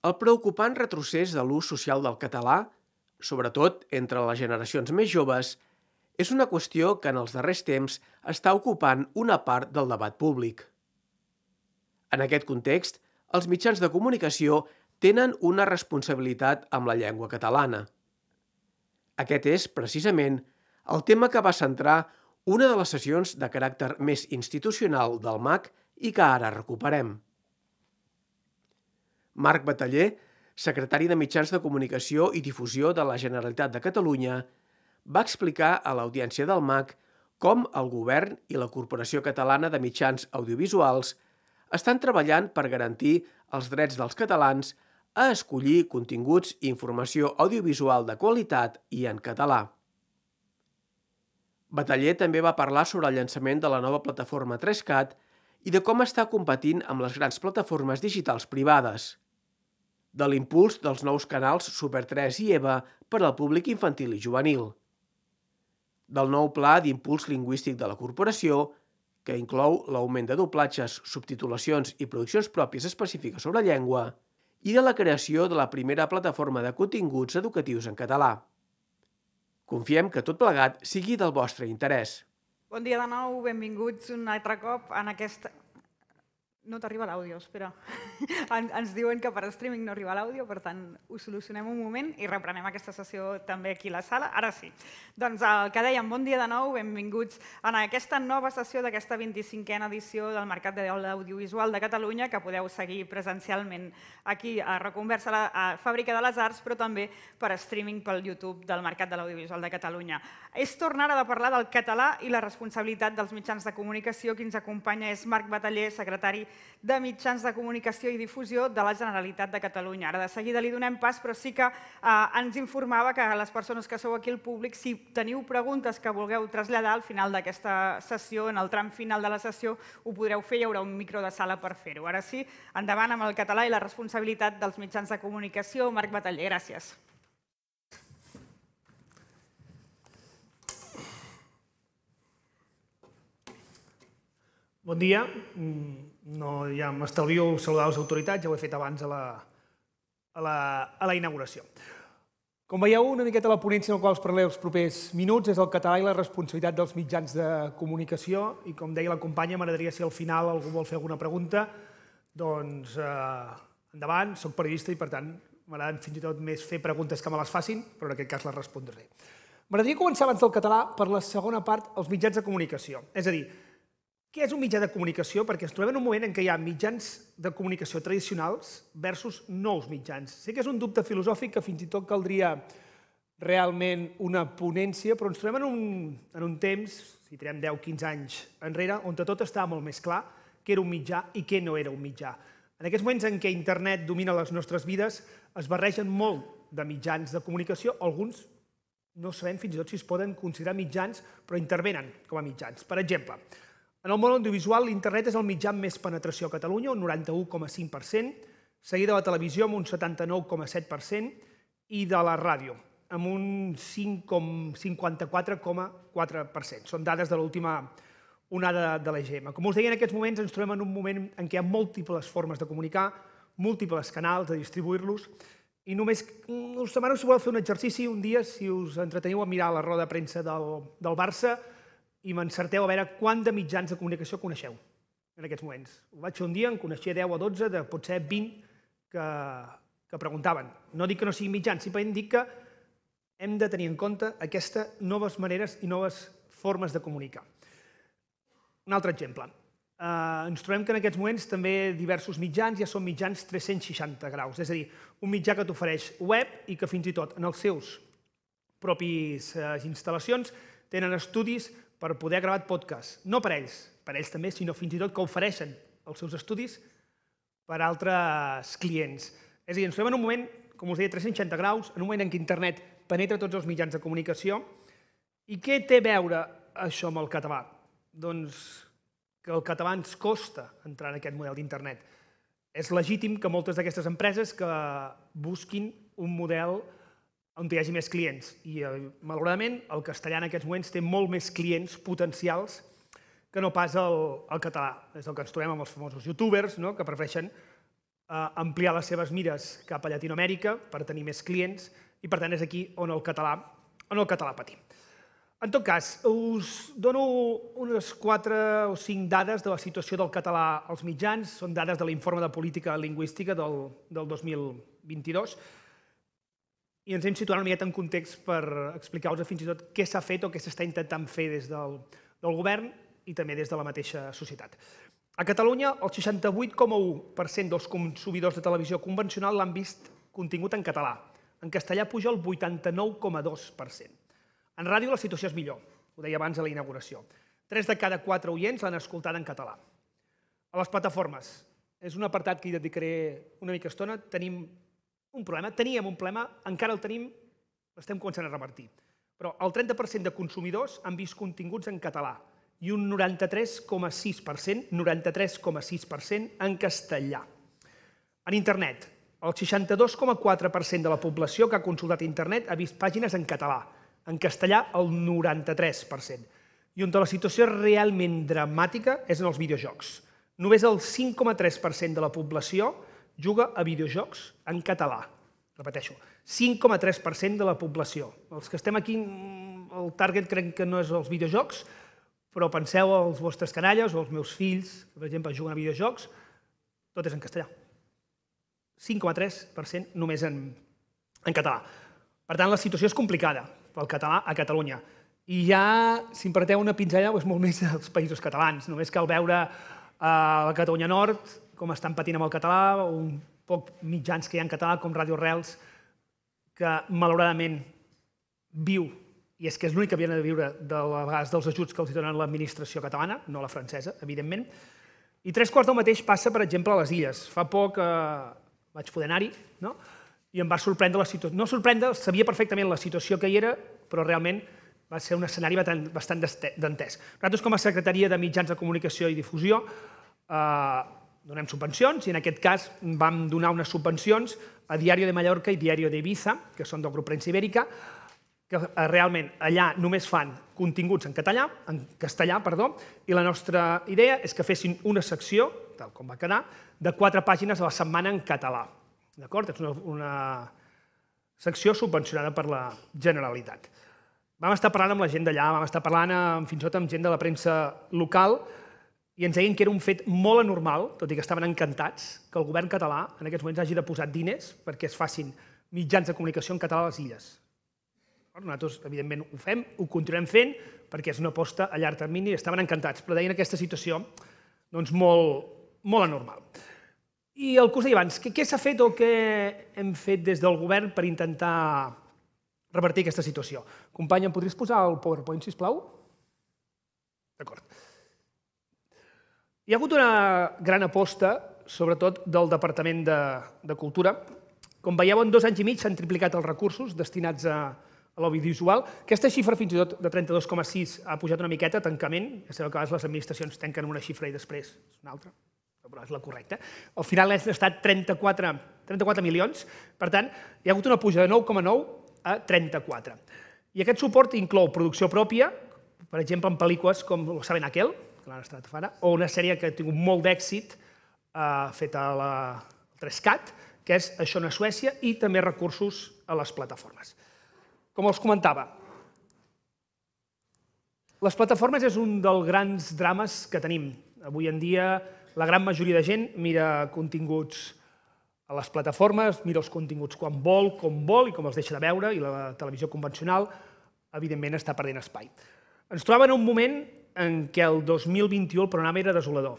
El preocupant retrocés de l'ús social del català, sobretot entre les generacions més joves, és una qüestió que en els darrers temps està ocupant una part del debat públic. En aquest context, els mitjans de comunicació tenen una responsabilitat amb la llengua catalana. Aquest és, precisament, el tema que va centrar una de les sessions de caràcter més institucional del MAC i que ara recuperem. Marc Bataller, secretari de Mitjans de Comunicació i Difusió de la Generalitat de Catalunya, va explicar a l'audiència del MAC com el Govern i la Corporació Catalana de Mitjans Audiovisuals estan treballant per garantir els drets dels catalans a escollir continguts i informació audiovisual de qualitat i en català. Bataller també va parlar sobre el llançament de la nova plataforma 3CAT i de com està competint amb les grans plataformes digitals privades, de l'impuls dels nous canals Super 3 i EVA per al públic infantil i juvenil, del nou pla d'impuls lingüístic de la corporació, que inclou l'augment de doblatges, subtitulacions i produccions pròpies específiques sobre llengua, i de la creació de la primera plataforma de continguts educatius en català. Confiem que tot plegat sigui del vostre interès. Bon dia de nou, benvinguts un altre cop en aquesta... No t'arriba l'àudio, espera. Ens diuen que per streaming no arriba l'àudio, per tant, ho solucionem un moment i reprenem aquesta sessió també aquí a la sala. Ara sí. Doncs el que dèiem, bon dia de nou, benvinguts en aquesta nova sessió d'aquesta 25a edició del Mercat de l'Audiovisual de Catalunya, que podeu seguir presencialment aquí a Reconversa, a Fàbrica de les Arts, però també per streaming pel YouTube del Mercat de l'Audiovisual de Catalunya. És tornar a parlar del català i la responsabilitat dels mitjans de comunicació. Qui ens acompanya és Marc Bataller, secretari de Mitjans de Comunicació i Difusió de la Generalitat de Catalunya. Ara de seguida li donem pas, però sí que ens informava que les persones que sou aquí al públic, si teniu preguntes que vulgueu traslladar al final d'aquesta sessió, en el tram final de la sessió, ho podreu fer, hi haurà un micro de sala per fer-ho. Ara sí, endavant amb el català i la responsabilitat dels mitjans de comunicació. Marc Bataller, gràcies. Bon dia. Ja m'estalvio saludar les autoritats, ja ho he fet abans a la inauguració. Com veieu, una miqueta la ponència en la qual us parlaré els propers minuts és el català i la responsabilitat dels mitjans de comunicació i, com deia la companya, m'agradaria si al final algú vol fer alguna pregunta, doncs endavant, soc periodista i per tant m'agrada fins i tot més fer preguntes que me les facin, però en aquest cas les respondré. M'agradaria començar abans del català per la segona part, els mitjans de comunicació. És a dir, què és un mitjà de comunicació? Perquè ens trobem en un moment en què hi ha mitjans de comunicació tradicionals versus nous mitjans. Sé que és un dubte filosòfic que fins i tot caldria realment una ponència, però ens trobem en un temps, si tirem 10-15 anys enrere, on tot estava molt més clar què era un mitjà i què no era un mitjà. En aquests moments en què internet domina les nostres vides, es barregen molt de mitjans de comunicació, alguns no sabem fins i tot si es poden considerar mitjans, però intervenen com a mitjans. Per exemple, en el món audiovisual, l'internet és el mitjà amb més penetració a Catalunya, un 91,5%, seguit de la televisió amb un 79,7% i de la ràdio amb un 54,4%. Són dades de l'última onada de l'EGM. Com us deia, en aquests moments ens trobem en un moment en què hi ha múltiples formes de comunicar, múltiples canals de distribuir-los, i només us demano si voleu fer un exercici un dia, si us entreteniu a mirar la roda de premsa del Barça, i m'encerteu a veure quant de mitjans de comunicació coneixeu en aquests moments. Ho vaig fer un dia, en coneixia 10 o 12, de potser 20 que preguntaven. No dic que no siguin mitjans, simplement dic que hem de tenir en compte aquestes noves maneres i noves formes de comunicar. Un altre exemple. Ens trobem que en aquests moments també diversos mitjans ja són mitjans 360 graus, és a dir, un mitjà que t'ofereix web i que fins i tot en els seus propis instal·lacions tenen estudis per poder gravar podcast. No per ells també, sinó fins i tot que ofereixen els seus estudis per a altres clients. És a dir, ens trobem en un moment, com us deia, 360 graus, en un moment en què internet penetra tots els mitjans de comunicació. I què té a veure això amb el català? Doncs que el català ens costa entrar en aquest model d'internet. És legítim que moltes d'aquestes empreses que busquin un model on hi hagi més clients. I, malauradament, el castellà en aquests moments té molt més clients potencials que no pas el català. És el que ens trobem amb els famosos youtubers, que prefereixen ampliar les seves mires cap a Llatinoamèrica per tenir més clients i, per tant, és aquí on el català patim. En tot cas, us dono unes 4 o 5 dades de la situació del català als mitjans. Són dades de l'Informe de Política Lingüística del 2022 i ens hem situat una miqueta en context per explicar-vos fins i tot què s'ha fet o què s'està intentant fer des del govern i també des de la mateixa societat. A Catalunya, el 68,1% dels consumidors de televisió convencional l'han vist contingut en català. En castellà puja el 89,2%. En ràdio la situació és millor, ho deia abans a la inauguració. 3 de cada 4 oients l'han escoltat en català. A les plataformes, és un apartat que hi dedicaré una mica estona, teníem un problema, encara el tenim, l'estem començant a revertir. Però el 30% de consumidors han vist continguts en català i un 93,6% en castellà. En internet, el 62,4% de la població que ha consultat internet ha vist pàgines en català, en castellà el 93%. I on la situació és realment dramàtica és en els videojocs. Només el 5,3% de la població juga a videojocs en català. Repeteixo, 5,3% de la població. Els que estem aquí, el target crec que no és els videojocs, però penseu als vostres canalles o als meus fills, que per exemple juguen a videojocs, tot és en castellà. 5,3% només en català. Per tant, la situació és complicada pel català a Catalunya. I ja, si em permeteu una pinzellada, és molt més als països catalans. Només cal veure a la Catalunya Nord com estan patint amb el català, un poc mitjans que hi ha en català, com Ràdio Arrels, que malauradament viu, i és que és l'únic que havien de viure de vegades dels ajuts que els donen l'administració catalana, no la francesa, evidentment. I 3/4 del mateix passa, per exemple, a les Illes. Fa poc vaig poder anar-hi, no? I em va sorprendre la situació. No sorprendre, sabia perfectament la situació que hi era, però realment va ser un escenari bastant dantès. Nosaltres, com a Secretaria de Mitjans de Comunicació i Difusió, donem subvencions i en aquest cas vam donar unes subvencions a Diario de Mallorca i Diario de Ibiza, que són del grup Premsa Ibèrica, que realment allà només fan continguts en castellà, i la nostra idea és que fessin una secció, tal com va quedar, de 4 pàgines a la setmana en català. D'acord? És una secció subvencionada per la Generalitat. Vam estar parlant amb la gent d'allà, vam estar parlant fins i tot amb gent de la premsa local i ens deien que era un fet molt anormal, tot i que estaven encantats, que el govern català en aquests moments hagi de posar diners perquè es facin mitjans de comunicació en català a les Illes. Nosaltres, evidentment, ho fem, ho continuem fent, perquè és una aposta a llarg termini i estaven encantats, però deien aquesta situació molt anormal. I el que us deia abans, què s'ha fet o què hem fet des del govern per intentar revertir aquesta situació? Companya, em podries posar el PowerPoint, sisplau? D'acord. Hi ha hagut una gran aposta, sobretot del Departament de Cultura. Com veieu, en 2 anys i mig s'han triplicat els recursos destinats a l'audiovisual. Aquesta xifra, fins i tot de 32,6, ha pujat una miqueta a tancament. Ja sabeu que a vegades les administracions tanquen una xifra i després és una altra, però és la correcta. Al final han estat 34 milions. Per tant, hi ha hagut una puja de 9,9 a 34. I aquest suport inclou producció pròpia, per exemple, en pel·lícules com Lo saben aquel, que l'han estat fara, o una sèrie que ha tingut molt d'èxit feta al 3CAT, que és Això no és Suècia, i també recursos a les plataformes. Com els comentava, les plataformes és un dels grans drames que tenim. Avui en dia, la gran majoria de gent mira continguts a les plataformes, mira els continguts quan vol, com vol i com els deixa de veure, i la televisió convencional, evidentment, està perdent espai. Ens trobàvem en un moment en què el 2021 el panorama era desolador.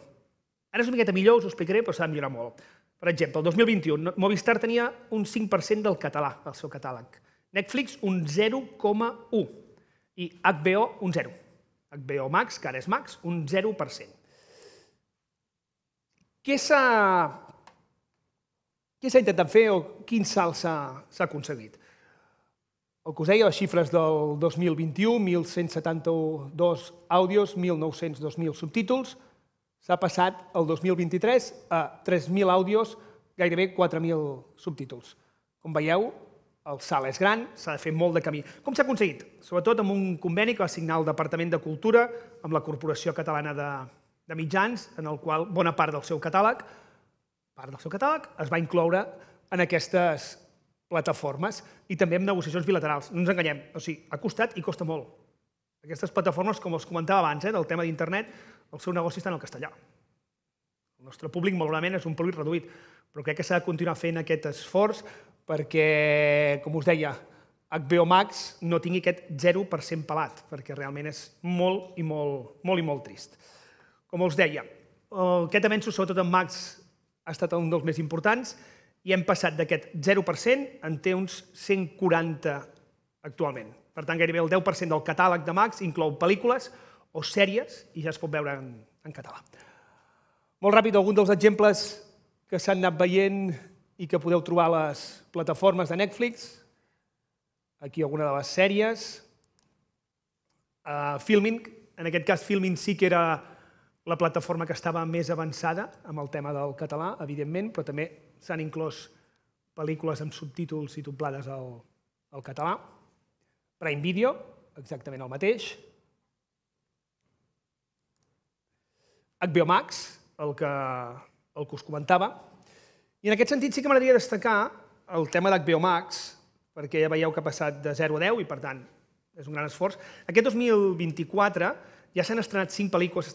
Ara és una miqueta millor, us ho explicaré, però s'ha de millorar molt. Per exemple, el 2021, Movistar tenia un 5% del català al seu catàleg. Netflix, un 0,1%. I HBO, un 0%. HBO Max, que ara és Max, un 0%. Què s'ha intentat fer o quin salt s'ha aconseguit? El que us deia, les xifres del 2021, 1.172 àudios, 1.900, 2.000 subtítols, s'ha passat el 2023 a 3.000 àudios, gairebé 4.000 subtítols. Com veieu, el salt és gran, s'ha de fer molt de camí. Com s'ha aconseguit? Sobretot amb un conveni que va signar el Departament de Cultura amb la Corporació Catalana de Mitjans, en el qual bona part del seu catàleg part del seu catàleg es va incloure en aquestes plataformes i també en negociacions bilaterals. No ens enganyem, o sigui, ha costat i costa molt. Aquestes plataformes, com els comentava abans, del tema d'internet, el seu negoci està en el castellà. El nostre públic, malauradament, és un públic reduït, però crec que s'ha de continuar fent aquest esforç perquè, com us deia, HBO Max no tingui aquest 0% pelat, perquè realment és molt i molt trist. Com us deia, aquest avenç, sobretot en Max, ha estat un dels més importants i hem passat d'aquest 0% en té uns 140 actualment. Per tant, gairebé el 10% del catàleg de Max inclou pel·lícules o sèries i ja es pot veure en català. Molt ràpid, alguns dels exemples que s'han anat veient i que podeu trobar a les plataformes de Netflix. Aquí alguna de les sèries. Filmin, en aquest cas Filmin sí que era la plataforma que estava més avançada amb el tema del català, evidentment, però també s'han inclòs pel·lícules amb subtítols i doblades al català. Prime Video, exactament el mateix. HBO Max, el que us comentava. I en aquest sentit sí que m'agradaria destacar el tema d'HBO Max, perquè ja veieu que ha passat de 0 a 10 i, per tant, és un gran esforç. Aquest 2024 ja s'han estrenat 5 pel·lícules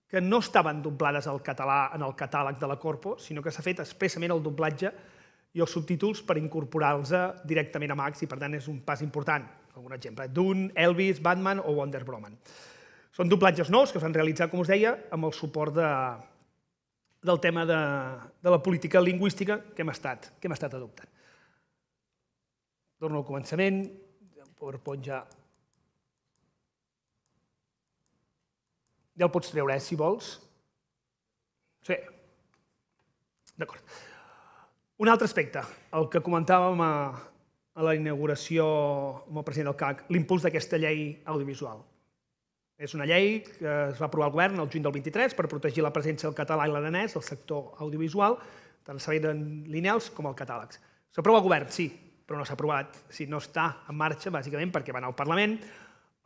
que no estaven doblades al català en el catàleg de la Corpo, sinó que s'ha fet expressament el doblatge i els subtítols per incorporar-los directament a Max i, per tant, és un pas important. Algun exemple, Dune, Elvis, Batman o Wonder Woman. Són doblatges nous que s'han realitzat, com us deia, amb el suport del tema de la política lingüística que hem estat adoptant. Torno al començament, el PowerPoint ja el pots treure, si vols. Sí. D'acord. Un altre aspecte, el que comentàvem a la inauguració amb el president del CAC, l'impuls d'aquesta llei audiovisual. És una llei que es va aprovar al govern el juny del 23 per protegir la presència del català i l'aranès al sector audiovisual, tant el servei de lineals com el catàlegs. S'aprova al govern, sí, però no s'ha aprovat. No està en marxa, bàsicament, perquè va anar al Parlament.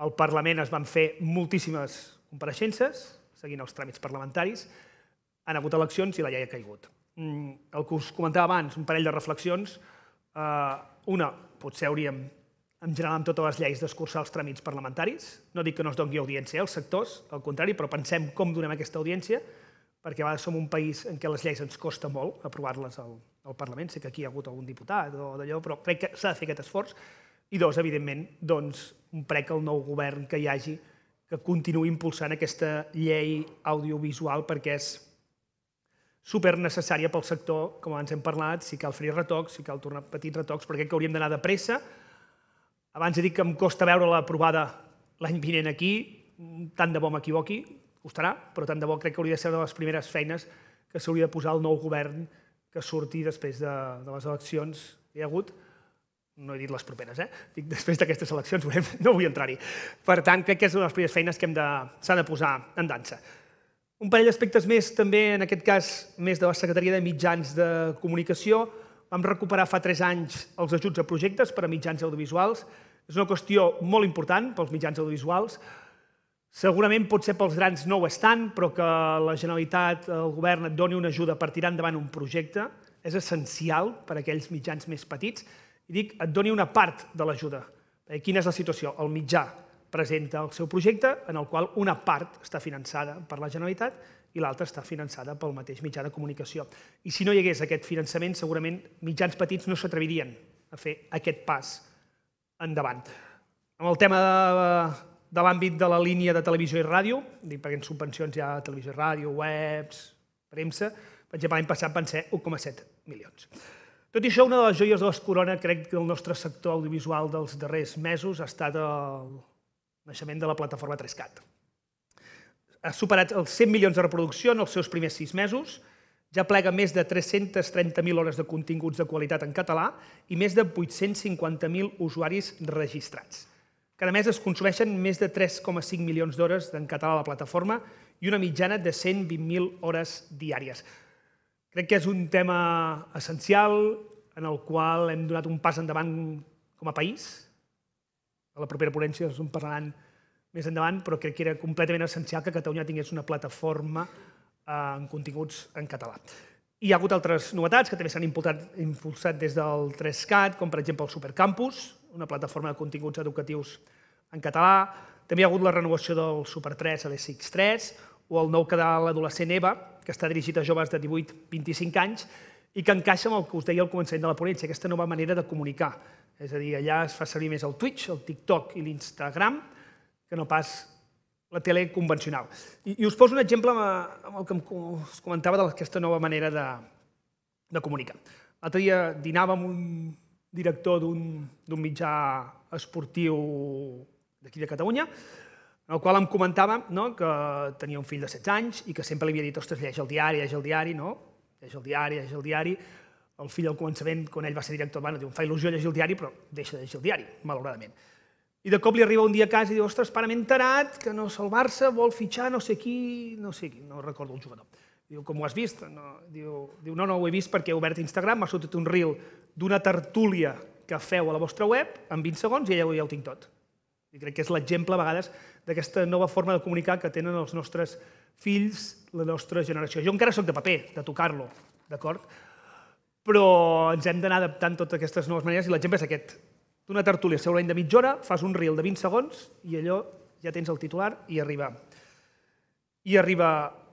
Al Parlament es van fer moltíssimes compareixences, seguint els tràmits parlamentaris. Han hagut eleccions i la llei ha caigut. El que us comentava abans, un parell de reflexions. Una, potser hauríem, en general, amb totes les lleis, d'escurçar els tràmits parlamentaris. No dic que no es doni audiència als sectors, al contrari, però pensem com donem aquesta audiència, perquè a vegades som un país en què les lleis ens costa molt aprovar-les al Parlament. Sé que aquí hi ha hagut algun diputat o d'allò, però crec que s'ha de fer aquest esforç. I dos, evidentment, un prec al nou govern que hi hagi que continuï impulsant aquesta llei audiovisual perquè és supernecessària pel sector, com abans hem parlat, si cal fer retocs, si cal tornar petits retocs, però crec que hauríem d'anar de pressa. Abans he dit que em costa veure-la aprovada l'any vinent aquí, tant de bo m'equivoqui, costarà, però tant de bo crec que hauria de ser una de les primeres feines que s'hauria de posar el nou govern que surti després de les eleccions que hi ha hagut. No he dit les properes, dic després d'aquestes eleccions, no vull entrar-hi. Per tant, crec que és una de les primeres feines que s'ha de posar en dansa. Un parell d'aspectes més, també, en aquest cas, més de la Secretaria de Mitjans de Comunicació. Vam recuperar fa 3 anys els ajuts a projectes per a mitjans audiovisuals. És una qüestió molt important pels mitjans audiovisuals. Segurament potser pels grans no ho és tant, però que la Generalitat, el govern, et doni una ajuda per tirar endavant un projecte és essencial per a aquells mitjans més petits. I dic, et doni una part de l'ajuda. Quina és la situació? El mitjà presenta el seu projecte, en el qual una part està finançada per la Generalitat i l'altra està finançada pel mateix mitjà de comunicació. I si no hi hagués aquest finançament, segurament mitjans petits no s'atrevirien a fer aquest pas endavant. Amb el tema de l'àmbit de la línia de televisió i ràdio, perquè en subvencions hi ha televisió i ràdio, webs, premsa, per exemple, l'any passat van ser 1,7 milions. Tot i això, una de les joies de les corona, crec que el nostre sector audiovisual dels darrers mesos ha estat el naixement de la plataforma 3CAT. Ha superat els 100 milions de reproducció en els seus primers 6 mesos, ja plega més de 330.000 hores de continguts de qualitat en català i més de 850.000 usuaris registrats. Cada mes es consumeixen més de 3,5 milions d'hores en català a la plataforma i una mitjana de 120.000 hores diàries. Crec que és un tema essencial en el qual hem donat un pas endavant com a país. A la propera ponència ens en parlaran més endavant, però crec que era completament essencial que Catalunya tingués una plataforma amb continguts en català. Hi ha hagut altres novetats que també s'han impulsat des del 3CAT, com per exemple el Supercampus, una plataforma de continguts educatius en català. També hi ha hagut la renovació del Super3 a l'ESX3 o el nou canal adolescent EVA, que està dirigit a joves de 18-25 anys i que encaixa amb el que us deia al començament de la ponència, aquesta nova manera de comunicar. És a dir, allà es fa servir més el Twitch, el TikTok i l'Instagram, que no pas la tele convencional. I us poso un exemple amb el que us comentava d'aquesta nova manera de comunicar. L'altre dia dinava amb un director d'un mitjà esportiu d'aquí de Catalunya, en el qual em comentava que tenia un fill de 16 anys i que sempre li havia dit, ostres, lleix el diari, no? Lleix el diari. El fill al començament, quan ell va ser director, diu, em fa il·lusió llegir el diari, però deixa de llegir el diari, malauradament. I de cop li arriba un dia a casa i diu, ostres, pare, m'he enterat que el Barça vol fitxar no sé qui, no recordo el jugador. Diu, com ho has vist? Diu, no ho he vist perquè he obert Instagram, m'ha sortit un reel d'una tertúlia que feu a la vostra web en 20 segons i ja ho tinc tot. I crec que és l'exemple, a vegades, d'aquesta nova forma de comunicar que tenen els nostres fills, la nostra generació. Jo encara soc de paper, de tocar-lo, d'acord? Però ens hem d'anar adaptant totes aquestes noves maneres i l'exemple és aquest. D'una tertúlia segurament de mitja hora, fas un reel de 20 segons i allò ja tens el titular i arriba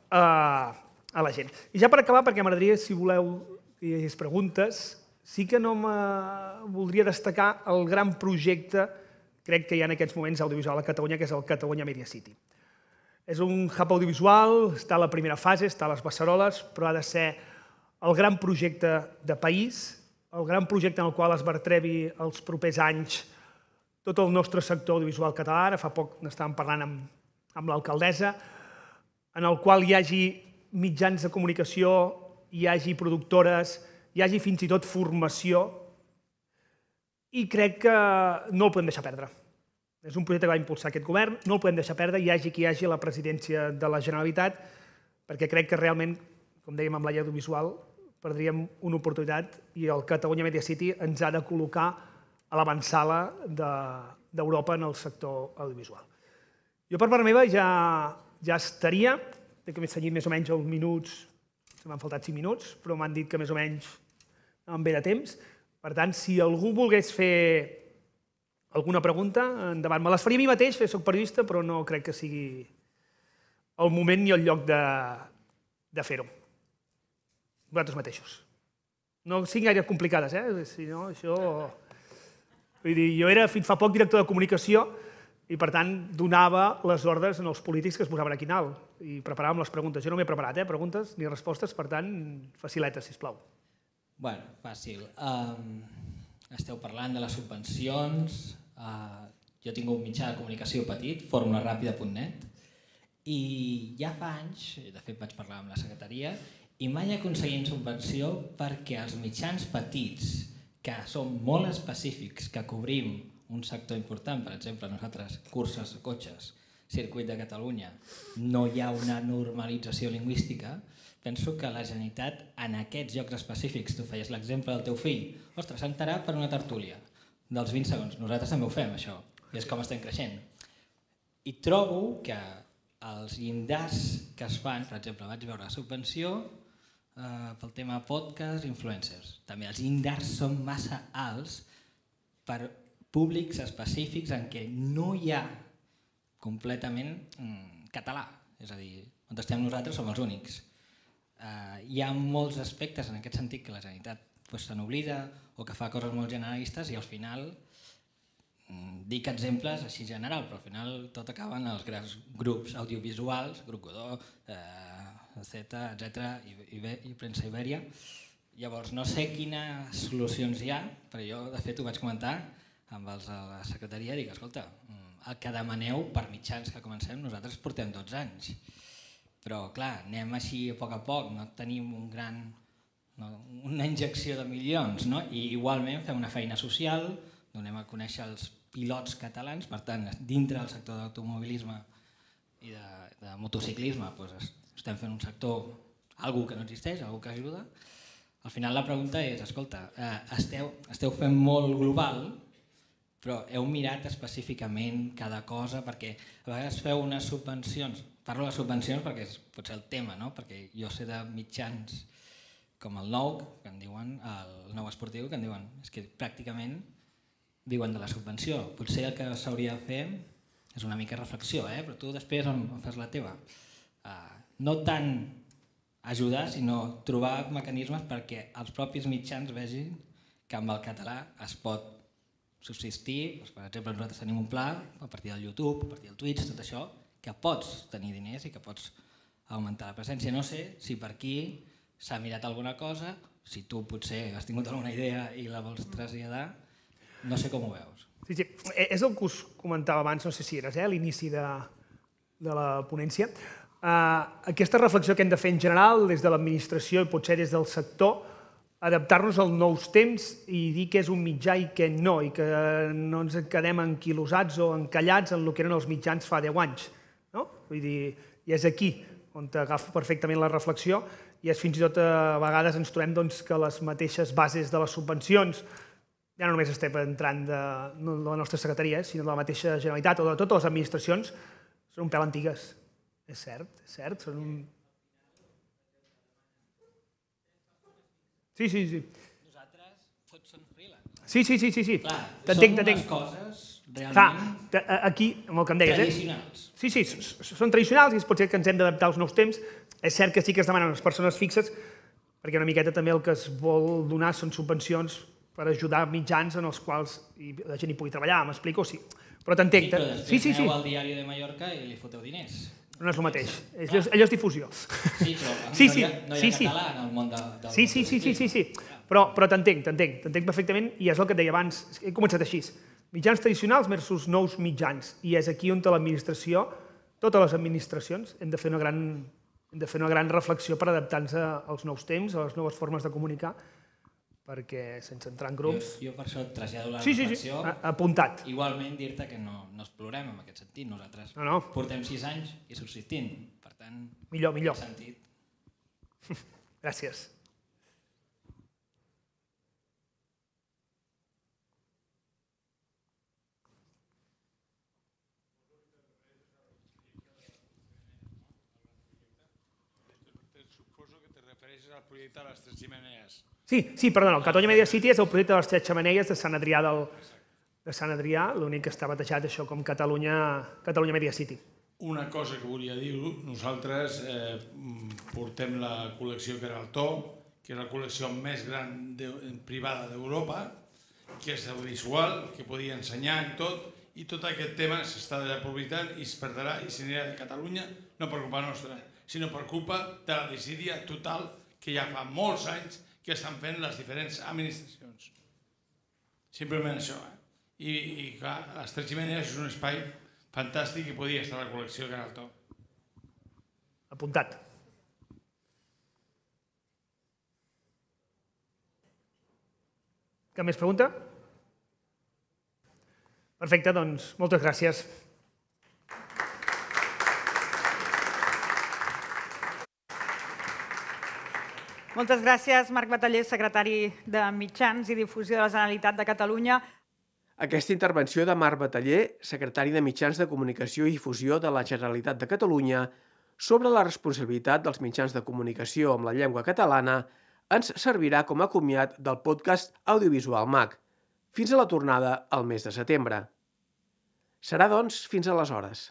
a la gent. I ja per acabar, perquè m'agradaria, si voleu que hi hagués preguntes, sí que no voldria destacar el gran projecte, crec que hi ha en aquests moments audiovisual a Catalunya, que és el Catalunya Media City. És un hub audiovisual, està a la primera fase, està a les beceroles, però ha de ser el gran projecte de país, el gran projecte en el qual es vertebri els propers anys tot el nostre sector audiovisual català. Ara fa poc n'estàvem parlant amb l'alcaldessa, en el qual hi hagi mitjans de comunicació, hi hagi productores, hi hagi fins i tot formació, i crec que no el podem deixar perdre. És un projecte que va impulsar aquest govern, no el podem deixar perdre, hi hagi qui hi hagi a la presidència de la Generalitat, perquè crec que realment, com dèiem amb la llei audiovisual, perdríem una oportunitat i el Catalunya Media City ens ha de col·locar a l'avantsala d'Europa en el sector audiovisual. Jo per part meva ja estaria, que m'he cenyit més o menys els minuts, m'han faltat 5 minuts, però m'han dit que més o menys em ve de temps. Per tant, si algú volgués fer alguna pregunta, endavant. Me les faria a mi mateix, soc periodista, però no crec que sigui el moment ni el lloc de fer-ho. Vosaltres mateixos. No siguin gaire complicades, si no, això... Vull dir, jo era fins fa poc director de comunicació i, per tant, donava les ordres als polítics que es posaven aquí en alt i preparàvem les preguntes. Jo no m'he preparat, preguntes ni respostes, per tant, faciletes, sisplau. Bueno, fàcil. Esteu parlant de les subvencions. Jo tinc un mitjà de comunicació petit, formulaRàpida.net, i ja fa anys, de fet vaig parlar amb la secretaria, i mai aconseguim subvenció perquè els mitjans petits, que són molt específics, que cobrim un sector important, per exemple, nosaltres, curses de cotxes, circuit de Catalunya, no hi ha una normalització lingüística, penso que la Generalitat, en aquests llocs específics, tu feies l'exemple del teu fill, ostres, s'ha enterat per una tertúlia dels 20 segons. Nosaltres també ho fem, això, i és com estem creixent. I trobo que els llindars que es fan, per exemple, vaig veure la subvenció pel tema podcast, influencers. També els llindars són massa alts per públics específics en què no hi ha completament català. És a dir, on estem nosaltres som els únics. Hi ha molts aspectes en aquest sentit que la Generalitat se n'oblida o que fa coses molt generalistes i al final dic exemples així general, però al final tot acaba en els grans grups audiovisuals, Grup Godó, Z, etc. i Premsa Ibèria. Llavors, no sé quines solucions hi ha, però jo, de fet, ho vaig comentar amb els de la secretaria i dic, escolta, el que demaneu per mitjans que comencem, nosaltres portem 12 anys. Però, clar, anem així a poc, no tenim una injecció de milions, no? I igualment fem una feina social, donem a conèixer els pilots catalans, per tant, dintre del sector d'automobilisme i de motociclisme, estem fent un sector, algú que no existeix, algú que ajuda. Al final la pregunta és, escolta, esteu fent molt global, però heu mirat específicament cada cosa, perquè a vegades feu unes subvencions, parlo de subvencions perquè és potser el tema, no? Perquè jo sé de mitjans com el nou, que en diuen, el nou esportiu, que en diuen, és que pràcticament viuen de la subvenció. Potser el que s'hauria de fer és una mica reflexió, però tu després on fas la teva. No tant ajudar, sinó trobar mecanismes perquè els propis mitjans vegin que amb el català es pot subsistir. Per exemple, nosaltres tenim un pla a partir del YouTube, a partir del Twitch, tot això, que pots tenir diners i que pots augmentar la presència. No sé si per aquí s'ha mirat alguna cosa, si tu potser has tingut alguna idea i la vols traslladar, no sé com ho veus. Sí, és el que us comentava abans, no sé si eres, a l'inici de la ponència. Aquesta reflexió que hem de fer en general, des de l'administració i potser des del sector, adaptar-nos als nous temps i dir què és un mitjà i què no, i que no ens quedem enquilosats o encallats en el que eren els mitjans fa 10 anys. Vull dir, i és aquí on agafo perfectament la reflexió i és fins i tot a vegades ens trobem que les mateixes bases de les subvencions, ja no només estem entrant de la nostra secretaria, sinó de la mateixa Generalitat o de totes les administracions, són un pèl antigues. És cert. Són un... Sí. Nosaltres tots som freelance. Sí. Clar, T'entenc. són unes coses realment aquí, amb el que em deies, tradicionals. Sí, són tradicionals i pot ser que ens hem d'adaptar als nous temps. És cert que sí que es demanen les persones fixes, perquè una miqueta també el que es vol donar són subvencions per ajudar mitjans en els quals la gent hi pugui treballar, m'explico? Sí, però t'entenc. Però després aneu al Diari de Mallorca i li foteu diners. No és el mateix, allò és difusió. Sí, però no hi ha català en el món del... Sí, però t'entenc perfectament i és el que et deia abans, he començat així. Mitjans tradicionals versus nous mitjans, i és aquí on l'administració, totes les administracions, hem de fer una gran reflexió per adaptar-nos als nous temps, a les noves formes de comunicar, perquè sense entrar en grups... Jo per això et trasllado la reflexió. Sí, apuntat. Igualment dir-te que no explorem en aquest sentit. Nosaltres portem 6 anys i subsistint. Per tant, millor. Sentit. Gràcies. Suposo que te refereixes al projecte de les 3 xemeneies. Sí, perdona, el Catalunya Media City és el projecte de les 3 xemeneies de Sant Adrià, l'únic que està batejat això com Catalunya Media City. Una cosa que volia dir-ho, nosaltres portem la col·lecció Queraltó, que és la col·lecció més gran privada d'Europa, que és audiovisual, que podia ensenyar i tot aquest tema s'està desaprofitant i es perdrà i s'anirà de Catalunya, no per culpa nostra, sinó per culpa de la desídia total que ja fa molts anys que estan fent les diferents administracions. Simplement això. I clar, les 3 xemeneies és un espai fantàstic i podia estar a la col·lecció Queraltó. Apuntat. Cap més pregunta? Perfecte, doncs moltes gràcies. Moltes gràcies, Marc Bataller, secretari de Mitjans i Difusió de la Generalitat de Catalunya. Aquesta intervenció de Marc Bataller, secretari de Mitjans de Comunicació i Difusió de la Generalitat de Catalunya, sobre la responsabilitat dels mitjans de comunicació amb la llengua catalana, ens servirà com a comiat del podcast Audiovisual MAC, fins a la tornada al mes de setembre. Serà, doncs, fins aleshores.